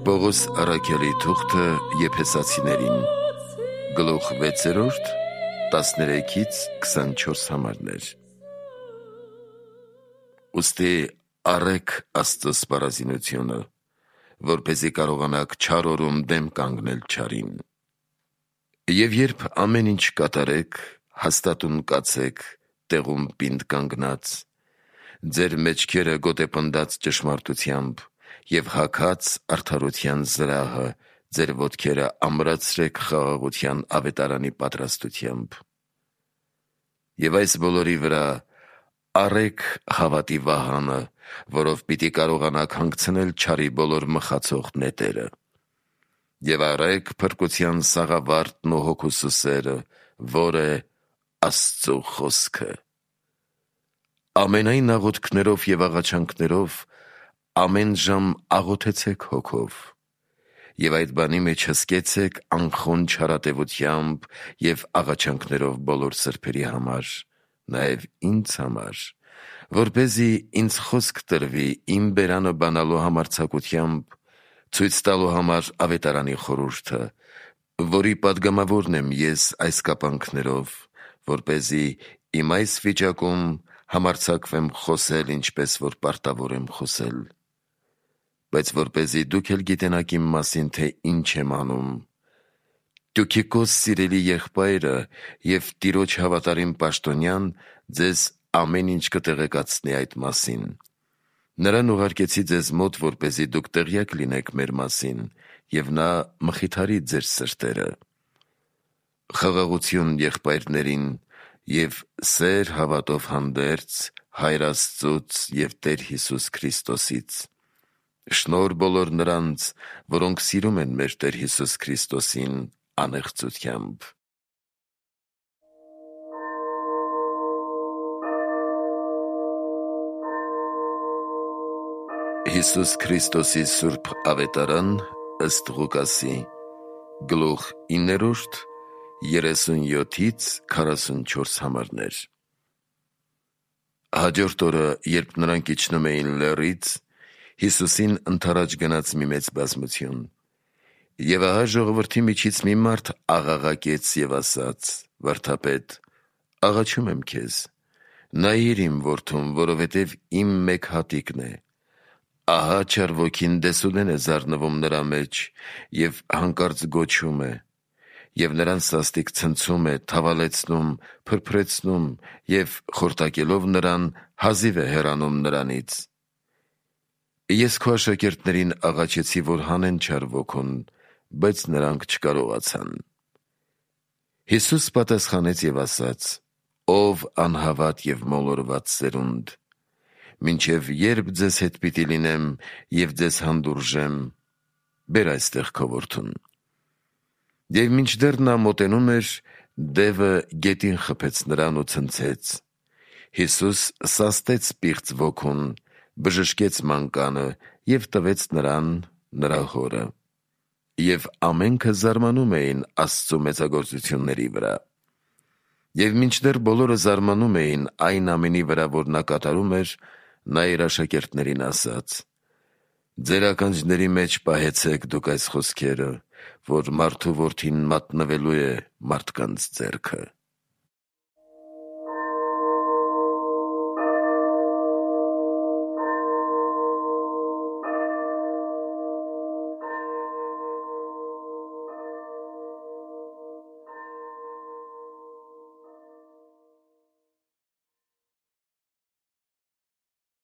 Պողոս առաքյալի թուղթը Եփեսացիներին, գլուխ 6, 13-24 համարներ։ Ուստի առեք Աստծո սպառազինությունը, որպեսզի կարողանաք չար օրում դեմ կանգնել չարին։ Եվ երբ ամեն ինչ կատարեք, հաստատուն կացեք, տեղում պինդ կանգնած, ձեր մեջքերը գոտեպնդած ճշմարտությամբ և հագած արդարության զրահը, ձեր ոտքերը ամրացրեք խաղաղության ավետարանի պատրաստությամբ։ Եվ այս բոլորի վրա առեք հավատի վահանը, որով պիտի կարողանաք հանգցնել չարի բոլոր մխացող նետերը։ Եվ առեք փրկության սաղավարտն ու հոգու սերը, որ է Աստծո խոսքը։ Ամենայն աղոթքներով և աղաչանքներով ամեն ժամ աղոթեցեք հոգով, և այդ բանի մեջ հսկեցեք անխոն չարատևությամբ և աղաչանքներով բոլոր սրբերի համար, նաև ինձ համար, որպեսզի ինձ խոսք տրվի իմ բերանը բանալու համարձակությամբ, ցույց տալու համար ավետարանի խորհուրդը, որի պատգամավորն եմ ես այս կապանքներով, որպեսզի իմ այս վիճակում համարձակվեմ խոսել, ինչպես որ պարտավոր եմ խոսել։ Բայց որպեսզի դուք էլ գիտենաք իմ մասին, թե ինչ եմ անում, Տյուքիկոս սիրելի եղբայրը և Տիրոջ հավատարիմ պաշտոնյան ձեզ ամեն ինչ կտեղեկացնի այդ մասին։ Նրան ուղարկեցի ձեզ մոտ, որպեսզի դուք տեղյակ լինեք մեր մասին, և նա մխիթարի ձեր սրտերը։ Խաղաղություն եղբայրներին և սեր հավատով հանդերձ Հայր Աստծուց և Տեր Հիսուս Քրիստոսից։ Շնորհ բոլոր նրանց, որոնք սիրում են մեր Տեր Հիսուս Քրիստոսին անեղծությամբ։ Հիսուս Քրիստոսի սուրբ ավետարան ըստ Ղուկասի, գլուխ 9, 37-44 համարներ։ Հաջորդ օրը, երբ նրանք իջնում էին լեռից, Հիսուսին ընդառաջ գնաց մի մեծ բազմություն։ Եվ ահա ժողովրդի միջից մի մարդ աղաղակեց և ասաց. «Վարդապետ, աղաչում եմ քեզ, նայիր իմ որդուն, որովհետև իմ մեկ հատիկն է։ Ահա չար ոգին դեսուդեն է զարնվում նրա մեջ և հանկարծ գոչում է, և նրան սաստիկ ցնցում է, թավալեցնում, փրփրեցնում և խորտակելով նրան, հազիվ է հեռանում նրանից։ Ես քո աշակերտներին աղաչեցի, որ հանեն չար ոգուն, բայց նրանք չկարողացան»։ Հիսուս պատասխանեց և ասաց. «Ով անհավատ և մոլորված սերունդ, մինչև երբ ձեզ հետ պիտի լինեմ և ձեզ հանդուրժեմ, բեր այստեղ քո որդուն»։ Եվ մինչդեռ նա մոտենում էր, դևը գետին խփեց նրան ու ցնցեց։ Հիսուս սաստեց պիղծ ոգուն, բժշկեց մանկանը և տվեց նրան նրա հորը։ Եվ ամենքը զարմանում էին Աստծո մեծագործությունների վրա։ Եվ մինչդեռ բոլորը զարմանում էին այն ամենի վրա, որ նա կատարում էր, նա իր աշակերտներին ասաց. «Ձեր ականջների մեջ պահեցեք դուք այս խոսքերը, որ մարդու որդին մատնվելու է մարդկանց ձեռքը»։